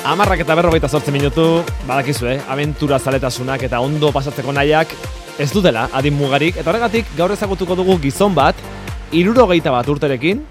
10:48 minutu, badakizu, abentura zaletasunak eta ondo pasatzeko nahiak ez dutela adin mugarik, eta horregatik gaur ezagutuko dugu gizon bat, 61 urterekin,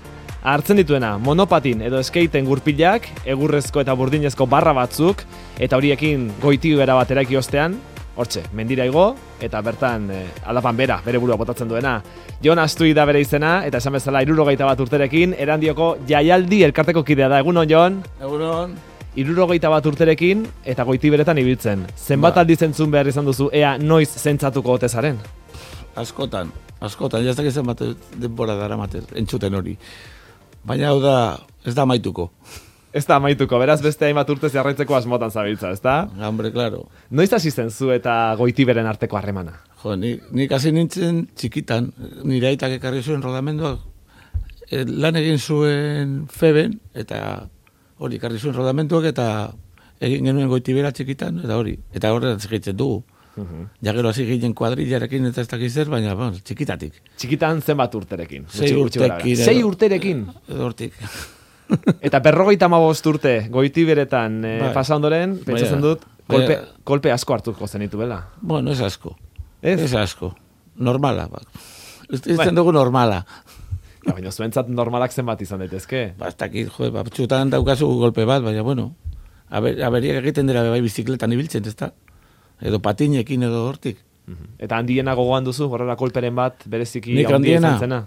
hartzen dituena monopatin edo skaten gurpilak, egurrezko eta burdinezko barra batzuk, eta horiekin goitibera bat eraiki ostean, hortxe, mendira igo, eta bertan aldapan bere burua botatzen duena. Jon Astui da bere izena, eta esan bezala 61 urterekin, Erandioko jaialdi elkarteko kidea da. Egunon, Jon? Egunon. 61 urterekin eta goitiberetan ibiltzen. Zenbat aldiz entzun behar izan duzu, ea noiz zentzatuko ote zaren? Askotan, jaztak izan bat denbora dara mater, entzuten hori. Baina hau da, ez da amaituko. Ez da amaituko, beraz beste hainbat urte jarraitzeko asmotan zabiltza, ez da? Hombre, claro. Noiz hasi zen zu eta goitiberen arteko harremana? Jo, nik hasi nintzen txikitan, nire aitak ekarri zuen rodamenduak, lan egin zuen Feben, eta hori ekarri zuen rodamenduak, eta egin genuen goitibera txikitan, eta hori, eta horretan segitzen dugu. Ja gero hasi ginen kuadrillarekin eta ez dakiz zer, baina txikitatik. Txikitan zenbat urterekin? 6 urterekin. 6 urterekin? Edo hortik. Eta 55 urte goitiberetan pasa ondoren, pentsatzen dut, kolpe asko hartuko zenituela. Bueno, ez asko. Ez asko. Normala. Ez dugu normala. Baina zuentzat normalak zenbat izan daitezke? Ez dakit, batzutan daukazu golpe bat, baina bueno, aberiak egiten dira bai bizikletan ibiltzen, ez da? Edo patinekin edo hortik. Eta handiena gogoan duzu, horrela kolperen bat, bereziki handia izan zena?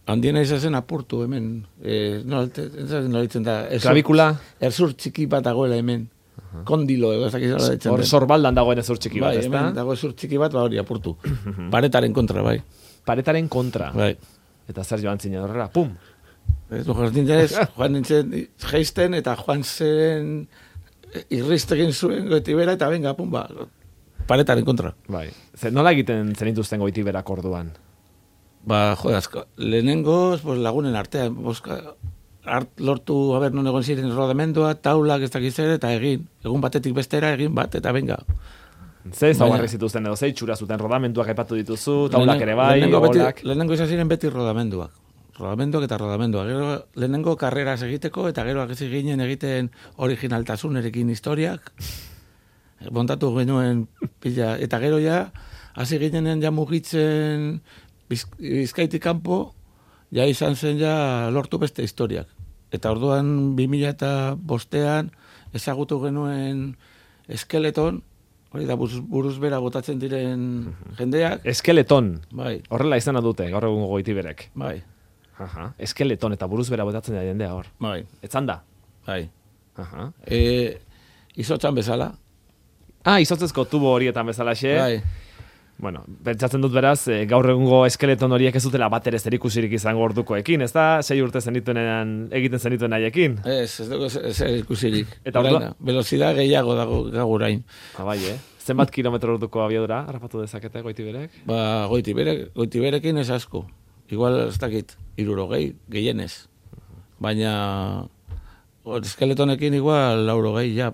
Handiena izan zen apurtu hemen. Nola ditzen da? Klavikula? Erzur txiki bat dagoela hemen. Kondilo edo ez dakiz nola ditzen. Hor sorbaldan dagoen ezur txiki bat, ez da? Hemen dago ezur txiki bat, hori apurtu. Paretaren kontra, bai. Paretaren kontra? Bai. Eta zer joan zinen horrela, pum! Joan nintzen geisten eta joan zen irriztegin zuen goitibera eta venga, pum, paretaren kontra. Bai. Nola egiten zenituzten goitiberak orduan? Lehenengoz, lagunen artean, lortu, non egon ziren rodamendua, taulak ez dakiz ere, eta egun batetik bestera, egin bat, eta venga. Ze zaugarri zituzten edo, ze itxura zuten rodamenduak aipatu dituzu, taulak ere bai, golak? Lehenengo izan ziren beti rodamenduak. Rodamenduak eta rodamenduak. Gero lehenengo karreras egiteko, eta gero agezi ginen egiten originaltasunerekin historiak. Montatu genuen pila. Eta gero ja, hasi ginenen ja mugitzen Bizkaitik kanpo, ja izan zen ja lortu beste historiak. Eta orduan 2005an ezagutu genuen Eskeleton, hori da buruz bera botatzen diren jendeak. Eskeleton? Bai. Horrela izena dute, gaur egun goitiberek. Bai. Eskeleton eta buruz bera botatzen da jendea hor. Bai. Etzan da? Bai. Izotzan bezala. Izotzezko tubo horietan bezalaxe. Bai. Bueno, pentsatzen dut beraz, gaur egungo eskeleton horiek ez dutela bat ere zerikusirik izango ordukoekin, ez da? 6 urte egiten zenituen nahiekin? Ez dugu zerikusirik. Eta orduan? Velozidad gehiago dago gaurain. Bai, Zenbat kilometro orduko abiadura harrapatu dezakete goitiberek? Goitiberekin ez asko. Igual ez dakit, 60 gehienez. Baina eskeletonekin igual 80 ja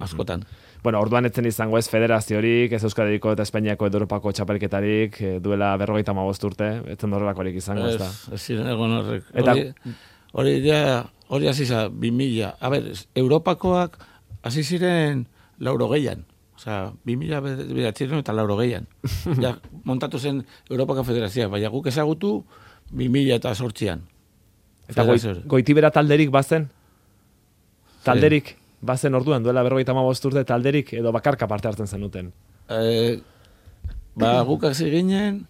askotan. Bueno, orduan etzen izango ez federaziorik, ez Euskadiko eta Espainiako edo Europako txapelketarik, duela 55 urte, etzen horrelakorik izango, ez da? Ez ziren egon horrek. Hori hasi za, 2000. A ber, Europakoak hasi ziren 80an. Osea, 2000 beratzen eta 80an. Ja, montatu zen Europako federazioa, baina guk ezagutu 2008an. Eta goitibera talderik bazen? Talderik? Bazen orduan, duela 55 urte talderik edo bakarka parte hartzen zenuten? Guk hasi ginen,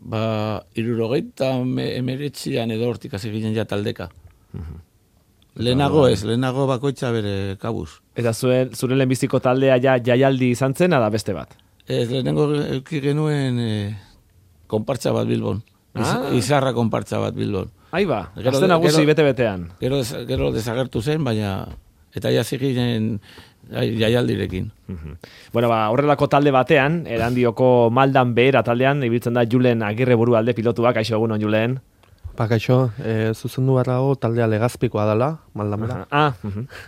69an edo hortik hasi ginen ja taldeka. Lehenago bakoitza bere kabuz. Eta zure lehenbiziko taldea ja jaialdi izan zen, da beste bat? Lehenengo euki genuen konpartza bat Bilbon. Izarra konpartza bat Bilbon. Aiba, gazte nagusi bete-betean. Gero desagertu zen, baina eta hasi ginen jaialdirekin. Bueno, horrelako talde batean, Erandioko Maldan behera taldean, ibiltzen da Julen Agirre Burualde pilotuak, aixo egunon Julen. Bakaixo, zuzendu barrago taldea Legazpikoa dela, Maldanbera.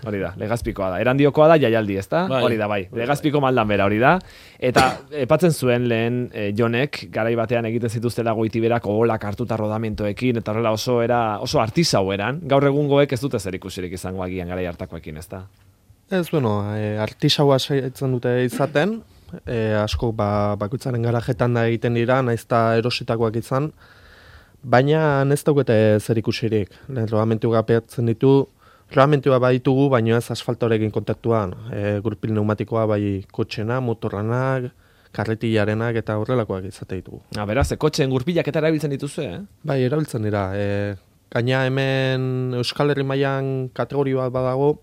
Hori da, Legazpikoa da. Erandiokoa da jaialdi, ezta? Hori da, bai. Legazpiko Maldanbera, hori da. Eta epatzen zuen lehen Jonek, garai batean egiten zituztela Goitiberak oholak hartuta rodamentoekin, eta horrela oso artisau eran. Gaur egungoek ez dute zer ikusirik izango agian garai hartakoekin, ezta? Ez, artisaua saiatzen dute izaten, asko bakoitzaren garajetan da egiten dira, naizta erositakoak izan, baina ez daukete zer ikusirik. Rodamentu gapeatzen ditu, rodamentua baditugu, baina ez asfaltorekin kontaktuan. Gurpil pneumatikoa bai kotxena, motorranak, karretillarenak eta horrelakoak izate ditugu. Beraz, kotxeen gurpilak eta erabiltzen dituzu, Bai, erabiltzen dira. Gaina hemen Euskal Herri mailan kategoria bat badago,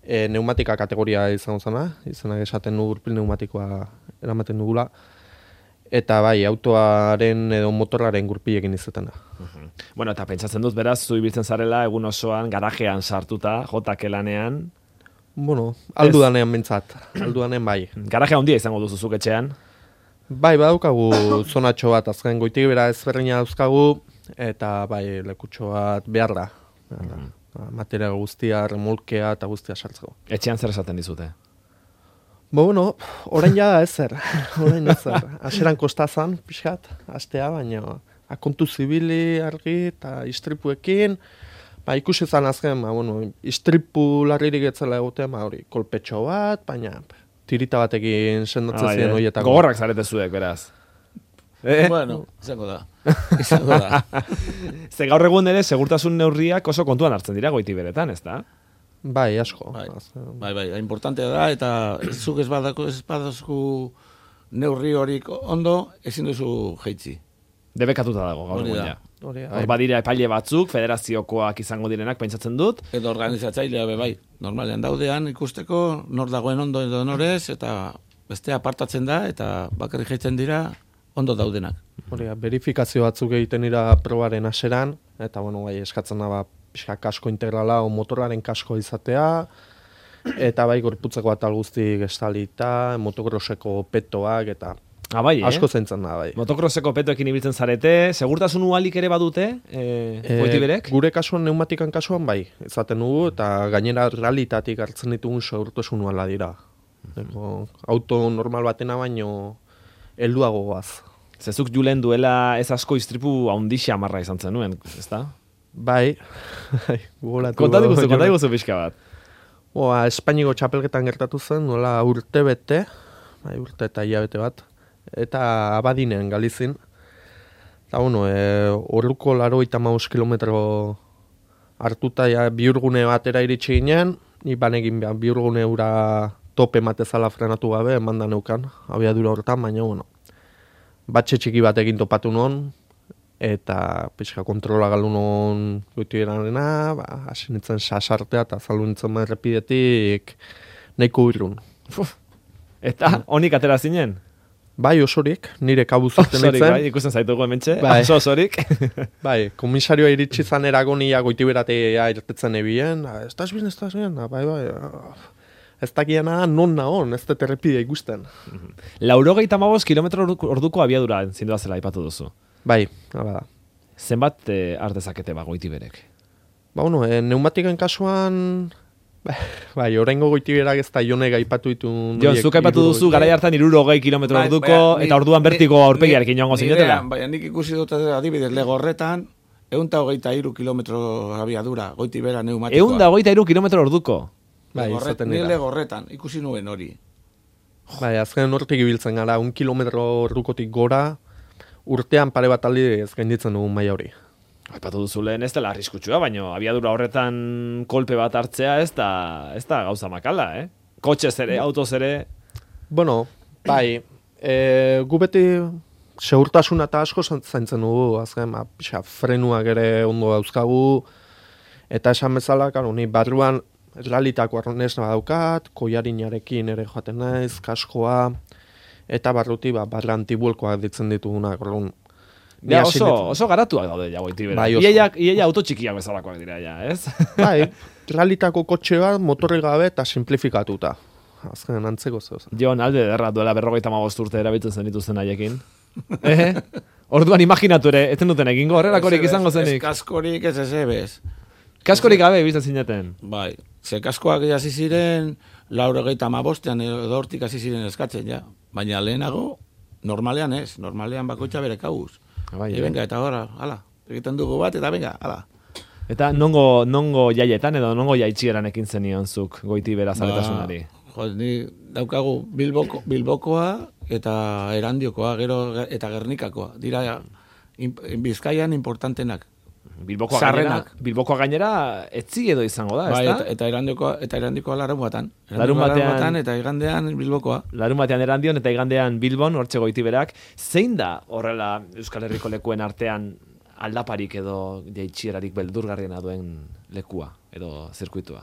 pneumatika kategoria izango zena, izenak esaten du gurpil pneumatikoa eramaten dugula. Eta bai, autoaren edo motorraren gurpilekin izaten da. Bueno, eta pentsatzen dut, beraz, zu ibiltzen zarela egun osoan, garajean sartuta, jotake lanean. Bueno, aldudanean bintzat, aldudanean bai. Garaje handia izango duzu zuk etxean? Bai, badaukagu zonatxo bat, azken Goitibera ezberdina dauzkagu, eta bai, lekutxo bat behar da. Materia guztia, remolkea eta guztia sartzeko. Etxean zer esaten dizute? Bueno, orain jada ezer. Aseran kostazan, pixkat, astea, baina akontu zibili argi eta istripuekin, ikusi zan azken, istripu larririk etzela egoten, hori, kolpetxo bat, baina tirita batekin sendatzen ziren horietako. Gogorrak zarete zuek, beraz. Bueno, izango da. Ze gaur egun ere, segurtasun neurriak oso kontuan hartzen dira Goitiberetan, ez da? Bai, asko. Bai, importantea da, eta zuk ez badazku neurri horik ondo, ezin duzu jeitzi. Debekatuta dago, gaur egun ja. Hor badira epaile batzuk, federaziokoak izango direnak, pentsatzen dut. Edo organizatzailea bai, normalean daudean ikusteko, nor dagoen ondo edo norez, eta beste apartatzen da, eta bakarrik jeitzen dira, ondo daudenak. Verifikazio batzuk egiten dira probaren haseran, eta eskatzen da pixka kasko integrala o motorraren kasko izatea, eta bai gorputzeko atal guztik estalita, motokroseko petoak, eta asko zentzen da, bai. Motokroseko petoekin ibiltzen zarete, segurtasun ualik ere badute, Goitiberek? Gure kasuan, pneumatikan kasuan, bai, izaten dugu, eta gainera realitatik hartzen ditugun segurtasun uala dira. Auto normal batena baino helduago goaz. Zezuk julen duela ez asko istripu haundixa amarra izan zenuen, ez da? Bai. Kontatu pixka bat. Espainiko txapelketan gertatu zen, nola urte bete, urte eta hilabete bat, eta Abadinean Galizin. Eta orduko 85 kilometro hartuta bihurgune batera iritsi ginen, ni banekin bihurgune ura tope matezala frenatu gabe, emanda neukan, abiadura hortan, baina batxe txiki batekin topatu non, eta pixka kontrola galu non Goitiberarena, hasi nintzen sasartea eta zalu nintzen errepidetik nahiko irrun. Eta honik atera zinen? Bai, osorik, nire kabuz zuten nintzen. Bai, ikusten zaitugu hementxe, osorik. Bai, komisarioa iritsi zanerago nia Goitiberatea irtetzen ebien, estaz bien, bai. Ez dakiena non nahon, ez dut errepidea ikusten. 95 kilometro orduko abiadura zindua zela aipatu duzu. Bai, da. Zenbat ardezakete Goitiberek? Pneumatiken kasuan, bai, oraingo Goitiberak ez da Jonek aipatu ditu. Jon, zuk aipatu duzu, garai hartan 60 kilometro orduko, eta orduan bertiko aurpegiarekin joango zinetela. Bai, nik ikusi dut adibidez lego horretan, 123 kilometro abiadura, Goitibera pneumatikoa. 123 kilometro orduko? Bai, izaten dira. Ni lego horretan, ikusi nuen hori. Bai, azken hortik ibiltzen gara, 1 kilometro ordukotik gora, urtean pare bat aldi ez gainditzen dugun maila hori. Aipatu duzu lehen ez dela arriskutsua, baina abiadura horretan kolpe bat hartzea ez da gauza makala, Kotxez ere, autoz ere. Bueno, bai, gu beti segurtasuna eta asko zaintzen dugu, azken, frenuak ere ondo dauzkagu, eta esan bezala, ni barruan realitako arnez badaukat, koiarinarekin ere joaten naiz, kaskoa, eta barruti barra antibulkoak ditzen ditugunak. Oso garatuak daude ja Goitiberak. Bai, Iaia auto txikiak bezalakoak dira ja, ez? Bai, realitako kotxe bat motorri gabe eta simplifikatuta. Azken antzeko zeu. Jon, alde derra duela 55 urte erabiltzen zen dituzten haiekin. Orduan imaginatu ere, ez duten egingo, horrelakorik izango zenik. Ez kaskorik ez ebez. Kaskorik gabe bizten zineten. Bai, ze kaskoak hasi ziren, 95ean edo hortik hasi ziren eskatzen, ja. Baina lehenago, normalean ez, normalean bakoitza bere kabuz. Bai, Venga, eta hala, egiten dugu bat, eta venga, hala. Eta nongo jaietan edo nongo jaitxieran ekin zenion zuk Goitibera zaletasunari? Ni daukagu Bilbokoa eta Erandiokoa, gero eta Gernikakoa. Dira Bizkaian importantenak. Bilbokoa gainera etzi edo izango da, bai, ezta? Eta Erandiokoa larunbatean. Larunbatean eta igandean Bilbokoa. Larunbatean Erandion eta igandean Bilbon, hortxe Goitiberak. Zein da horrela Euskal Herriko lekuen artean aldaparik edo jaitxierarik beldurgarriena duen lekua edo zirkuitua?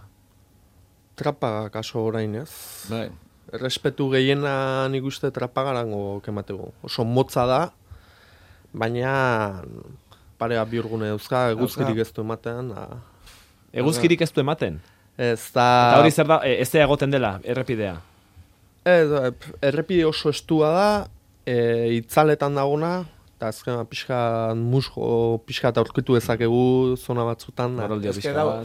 Trapaga kaso orain ez. Bai. Errespetu gehiena nik uste trapagarango kemateko. Oso motza da, baina parea biurgune dauzka, eguzkirik ez du ematen. Eguzkirik ez du ematen? Ez da... Eta hori zer da, ez da egoten dela, errepidea? Errepide oso estua da, itzaletan dagona, eta azken pixka eta aurkitu dezakegu zona batzutan. Ez da,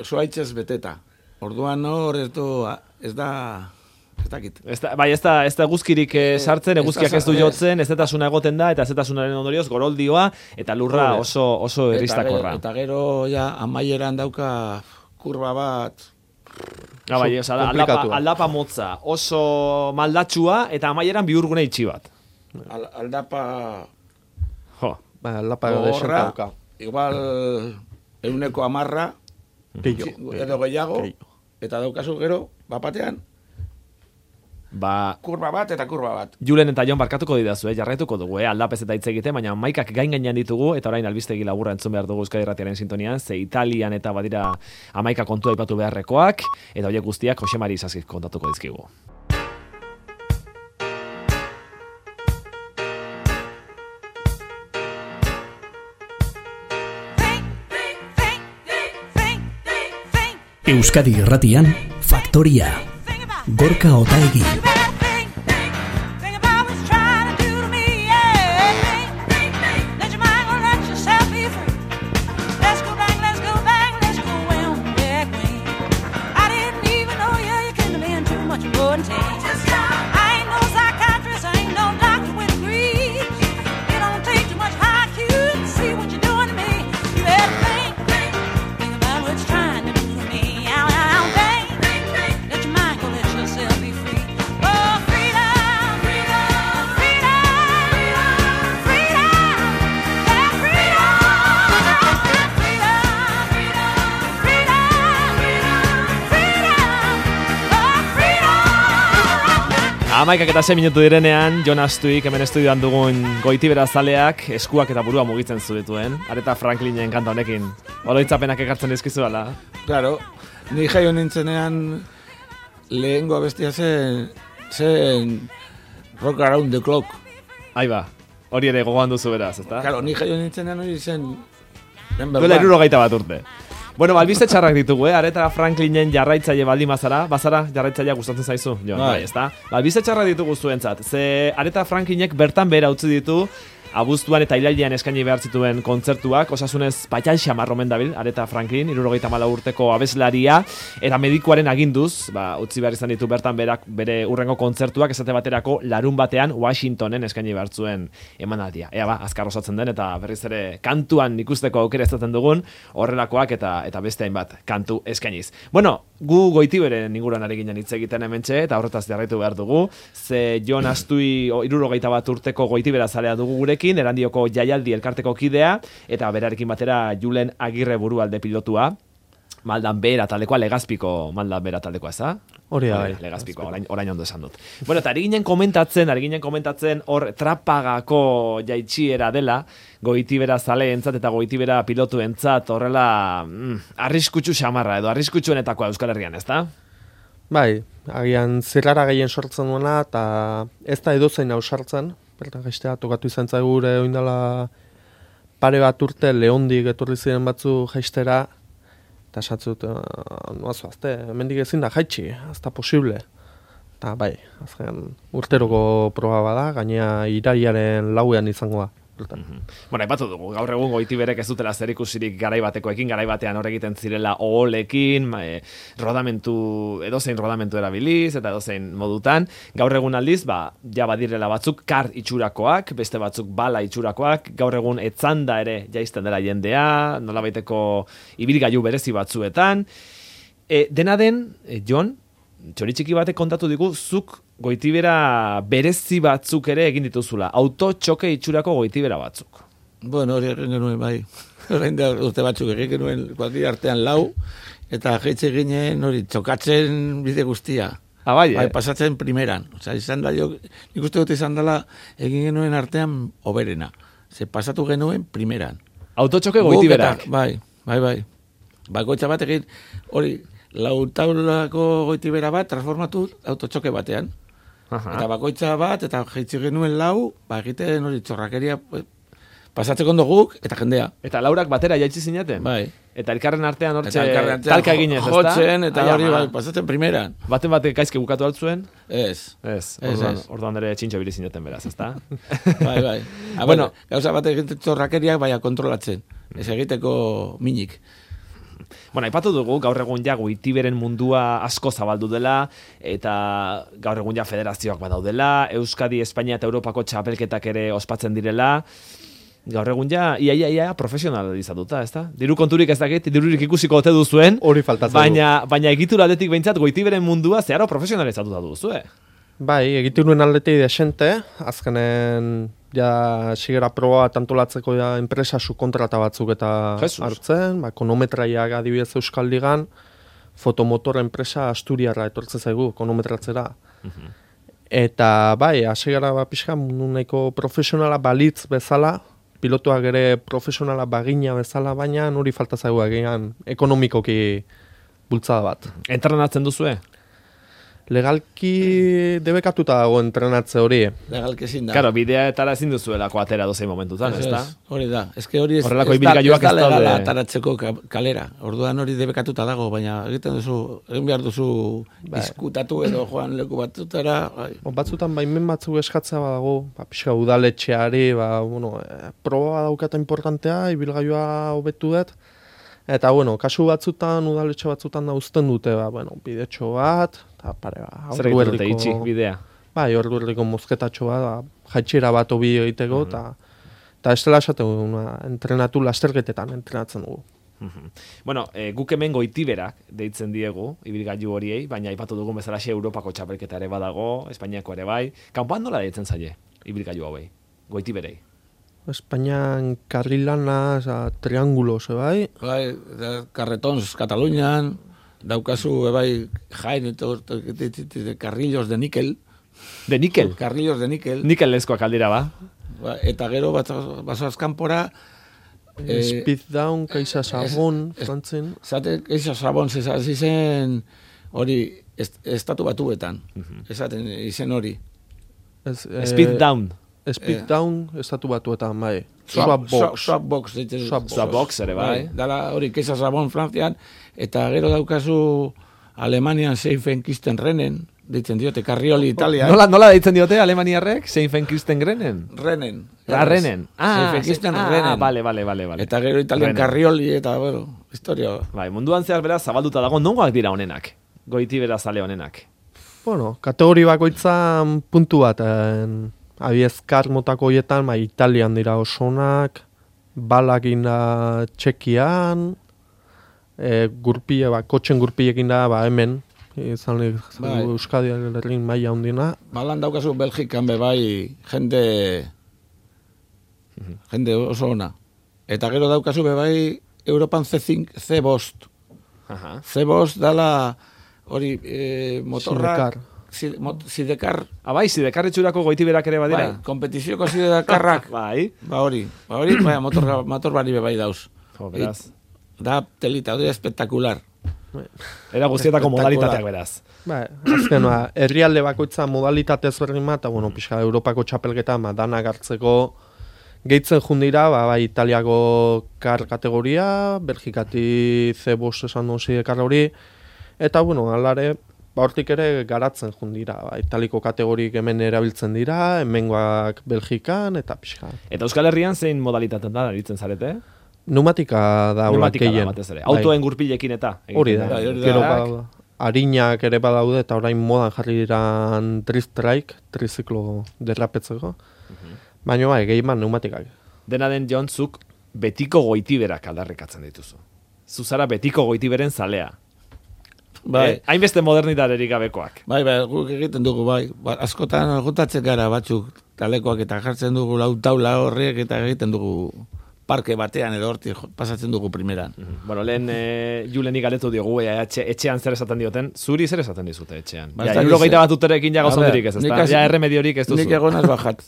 zuaitzez beteta. Orduan hor ez dakit. Bai, ez da eguzkirik sartzen, eguzkiak ez du jotzen, ezetasuna egoten da, eta ezetasunaren ondorioz goroldioa, eta lurra oso erristakorra. Eta gero, ja, amaieran dauka kurba bat... Bai, aldapa motza, oso maldatxua, eta amaieran bihurgune itxi bat. Aldapa... Jo. Aldapa desenta dauka. Igual 110 edo gehiago, eta daukazu gero, bapatean, kurba bat eta kurba bat. Julen eta Jon barkatuko didazu, jarraituko dugu, aldapez eta hitz egite, baina maikak gain ditugu, eta orain albistegi laburra entzun behar dugu Euskadi Irratiaren sintonian, ze Italian eta badira amaika kontua aipatu beharrekoak, eta horiek guztiak Jose Mari Isaskiz kontatuko dizkigu. Euskadi Irratian, Faktoria, Gorka Otaegi. Amaikak eta 6 minutu direnean, Jon Astuik hemen estudioan dugun Goitibera zaleak eskuak eta burua mugitzen zituen. Aretha Franklinen kanta honekin. Oroitzapenak ekartzen dizkizu ala. Claro, ni jaio nintzenean lehengo abestia zen Rock Around the Clock. Aiba, hori ere gogoan duzu beraz, ezta? Claro, ni jaio nintzenean hori zen... Duela 60 bat urte. Bueno, albiste txarrak ditugu, Aretha Franklinen jarraitzaile baldin bazara jarraitzailea gustatzen zaizu, Jon, bai, ezta? Albiste txarrak ditugu zuentzat, ze Aretha Franklinek bertan behera utzi ditu, abuztuan eta ilailean eskaini behar zituen kontzertuak, osasunez patxan xamar omen dabil, Aretha Franklin, 74 urteko abeslaria, eta medikuaren aginduz, utzi behar izan ditu bertan bere urrengo kontzertuak, esate baterako larun batean Washingtonen eskaini behar zuen emanaldia. Ea azkar osatzen den, eta berriz ere kantuan ikusteko aukera ezaten dugun, horrelakoak eta beste hainbat kantu eskainiz. Bueno, gu Goitiberen inguruan ari ginen hitz egiten hementxe, eta horretaz jarraitu behar dugu, ze Jon Astui 71 urteko Goitibera zalea dugu gurekin, Erandioko jaialdi elkarteko kidea, eta berarekin batera Julen Agirre burualde pilotua, Maldan Bera taldekoa, Legazpiko Maldan Bera taldekoa, ez da? Hori da, Legazpiko, orain ondo esan dut. Bueno, eta ari ginen komentatzen hor trapagako jaitxiera dela, Goitibera zaleentzat eta Goitibera pilotuentzat horrela arriskutsu xamarra edo arriskutsuen,etakoa Euskal Herrian, ez da? Bai, agian zirrara gehien sortzen duena, eta ez da edozein hau sartzen, bertan gaiztea, tokatu izan zaigu gure oindala pare bat urte Leondik etorri ziren batzu jaistera, eta esatzut, noazu, azte, hemendik ezin da jaitsi, ez da posible. Eta bai, azken urteroko proba bada, gainea iraiaren lauean izangoa. Bueno, aipatu dugu, gaur egun Goitiberek ez dutela zer ikusirik garaibatekoekin, garaibatean hor egiten zirela oholekin, edozein rodamentu erabiliz, eta edozein modutan. Gaur egun aldiz, ja badirela batzuk kar itxurakoak, beste batzuk bala itxurakoak, gaur egun etzanda ere jaisten dela jendea, nolabaiteko ibilgailu berezi batzuetan. Dena den, Jon, txoritxiki batek kontatu digu, zuk Goitibera berezi batzuk ere egin dituzula. Autotxoke itxurako Goitibera batzuk. Bueno, hori egin genuen, bai. Horrein da urte batzuk egin genuen kuadri artean lau, eta jeitze ginen hori txokatzen bide guztia. Bai, pasatzen primeran. Osa, izan da, nik uste dut izan dela egin genuen artean oberena. Ze pasatu genuen primeran. Autotxoke Goitiberak. Bai. Bakoitza bat egin, hori, lautaulako Goitibera bat transformatu autotxoke batean. Eta bakoitza bat, eta jeitzi genuen lau, egiten hori txorrakeria pasatzeko ondo guk, eta jendea. Eta laurak batera jaitsi zinaten? Bai. Eta elkarren artean hortxe talka eginez, ezta? Jotzen, eta hori pasatzen primeran. Baten batek gaizke bukatu altzuen? Ez. Orduan ere txintxo bili zinaten beraz, ezta? Bai. Bueno, gauza bat egiten txorrakeriak baina kontrolatzen. Ez egiteko minik. Bueno, aipatu dugu, gaur egun ja Goitiberen mundua asko zabaldu dela, eta gaur egun ja federazioak badaudela, Euskadi, Espainia eta Europako txapelketak ere ospatzen direla, gaur egun ja ia profesionalizatuta, ezta? Diru konturik ez dakit, dirurik ikusiko ote duzuen, hori faltatzen baina egitura aldetik behintzat Goitiberen mundua zeharo profesionalizatuta duzue. Bai, egituruen aldetik desente, azkenen ja sigera proba antolatzeko ja enpresa subkontrata batzuk eta hartzen, konometraiak adibidez Euskal Ligan, fotomotor enpresa Asturiarra etortzen zaigu konometratzera. Eta bai, asigara pixka mundu nahiko profesionala balitz bezala, pilotuak ere profesionala bagina bezala, baina hori falta zaigu egian ekonomikoki bultzada bat. Entrenatzen duzue? Legalki debekatuta dago entrenatze hori. Legalki ezin da. Claro, bideetara ezin duzuelako atera dozein momentutan, ezta? Hori da. Eske hori ez da legala ataratzeko kalera. Orduan hori debekatuta dago, baina egin behar duzu diskutatu edo joan leku batutara. Batzutan baimen batzuk eskatzea badago, pixka udaletxeari, proba daukata importantea, ibilgailua hobetu dut. Eta, kasu batzutan, udaletxe batzutan da uzten dute, bidetxo bat, eta pare, zer egiten dute itxi bidea? Bai, ordu erdiko mozketatxo bat, jaitxera bat obi egiteko, eta ez dela esaten entrenatu lasterketetan entrenatzen dugu. Bueno, guk hemen Goitiberak deitzen diegu, ibilgailu horiei, baina aipatu dugun bezalaxe Europako txapelketa ere badago, Espainiako ere bai. Kanpoan nola deitzen zaie ibilgailu hauei, Goitiberei? Espainian karrilana, triangulo, bai? Bai, carretons Katalunian, daukazu, bai, jain, carrillos de níquel. De níquel? Carrillos de níquel. Níkelezkoak aldira, ba? Eta gero, basoaz kanpora... Speed down, Kaixa Sabon, frantzen. Zate, Kaixa Sabon, zizen hori, estatu batuetan. Esaten, izen hori. Speed down. Speed down, estatu batuetan, bai. Swapbox. Swapbox ere, bai. Dala hori, Kaixa Sabon, frantzian, eta gero daukazu Alemanian Seifenkisten-Rennen, deitzen diote, Carrioli Italia. Nola deitzen diote Alemaniarrek? Seifenkisten-Rennen? Rennen. Rennen. Seifenkisten-Rennen. Vale. Eta gero Italian Carrioli, eta, historia. Bai, munduan zehar beraz, zabalduta dago, nongoak dira honenak? Goitibera zale honenak? Kategori bakoitzan puntu bat, abiezkar motako hoietan, Italian dira osonak, balak da Txekian, kotxen gurpiekin da, hemen, izan Euskadi herrin maila hundina. Balan daukazu Belgikan bai jende oso ona. Eta gero daukazu bai Europan C5, C5 dala hori motorrak, Sidekar. Bai, Sidekar etxurako Goitiberak ere badira. Bai, kompetizioko Sidekarrak. Bai. Hori, motor bari bai dauz. Beraz. Da telita, hori espektakular. Era guztietako modalitateak beraz. Azken, herrialde bakoitza modalitate ezberdin bat, eta, pixka, Europako txapelketa, danak hartzeko gehitzen jundira, Italiako kar kategoria, Belgikati C5 esan duen Sidekar hori, eta, alare, hortik ere garatzen jun dira. Italiko kategorik hemen erabiltzen dira, hemengoak Belgikan eta pixka. Eta Euskal Herrian zein modalitaten da aritzen zarete? Pneumatika da hola Pneumatika da gehien. batez ere. Autoen gurpilekin eta. Hori da. hori da. Gero harinak ere badaude eta orain modan jarri dira tristrike, triziklo derrapetzeko. Baina bai, gehien pneumatikak. Dena den Jon, zuk betiko goitiberak aldarrikatzen dituzu. Zuzara betiko goitiberen zalea. Bai. Hainbeste modernitaterik gabekoak. Bai, guk egiten dugu, bai. Askotan juntatzen gara batzuk talekoak eta jartzen dugu lau taula horriek eta egiten dugu parke batean edo hortik pasatzen dugu primeran. Bueno, lehen Juleni galetu diogu, etxean zer esaten dioten, zuri zer esaten dizute etxean. Ba, Ja, ez dakit hirurogeita zer. bat urterekin ja gozondirik ez, Nik ezta? hasi- Ja, erremediorik ez duzu. Nik egonaz bajat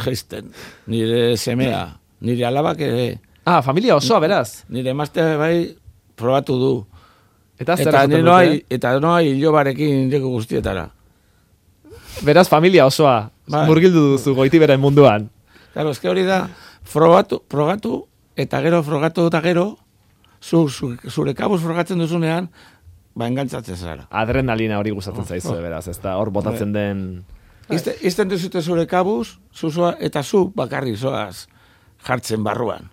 geisten. Nire semea, nire alabak ere, Ah, familia osoa, beraz. nire emaztea bai probatu du. Eta zer Eta esaten nire dute? noa hilobarekin nireko guztietara. Beraz, familia osoa. Bai. Murgildu duzu goitiberen munduan. Claro, eske hori da, frogatu, eta gero frogatu eta gero, zure kabuz frogatzen duzunean, ba engantzatzen zara. Adrenalina hori gustatzen zaizu, beraz, ezta hor botatzen den... Izten duzute zure kabuz, zuzua, eta zu bakarri zoaz jartzen barruan.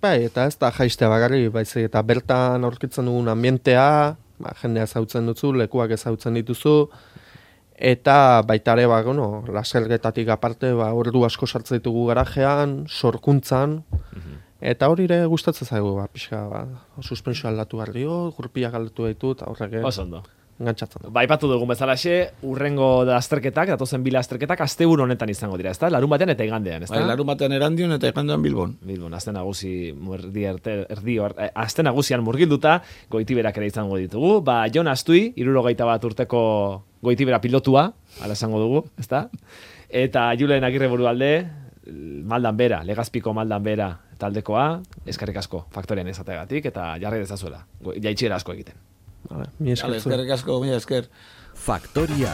Bai, eta ez da jaistea bakarri, baizik eta bertan aurkitzen dugun ambientea, jendea ezautzen duzu, lekuak ezautzen dituzu, eta baita ere, lasergetatik aparte, ordu asko sartzen ditugu garajean, sorkuntzan, eta hori ere gustatzen zaigu, pixka, suspensioa aldatu behar dio, gurpiak aldatu ditu, eta horrek Oso ondo. engantzatzen du. Baipatu dugun bezalaxe, urrengo lasterketak, datozen bi lasterketak, asteburu honetan izango dira, ezta? Larun batean eta igandean, ezta? Bai, larun batean Erandion eta igandean Bilbon. Bilbon, aste nagusian murgilduta, goitiberak ere izango ditugu. Ba, Jon Astui, 61 urteko goitibera pilotua, ala esango dugu, ezta? Eta Julen Agirre Burualde, Maldan Bera, Legazpiko Maldan Bera taldekoa, eskerrik asko faktorian ezategatik, eta jarri dezazuela, jaitsiera asko egiten. Vale, mi esker zuei. Eskerrik asko, mila esker. Faktoria.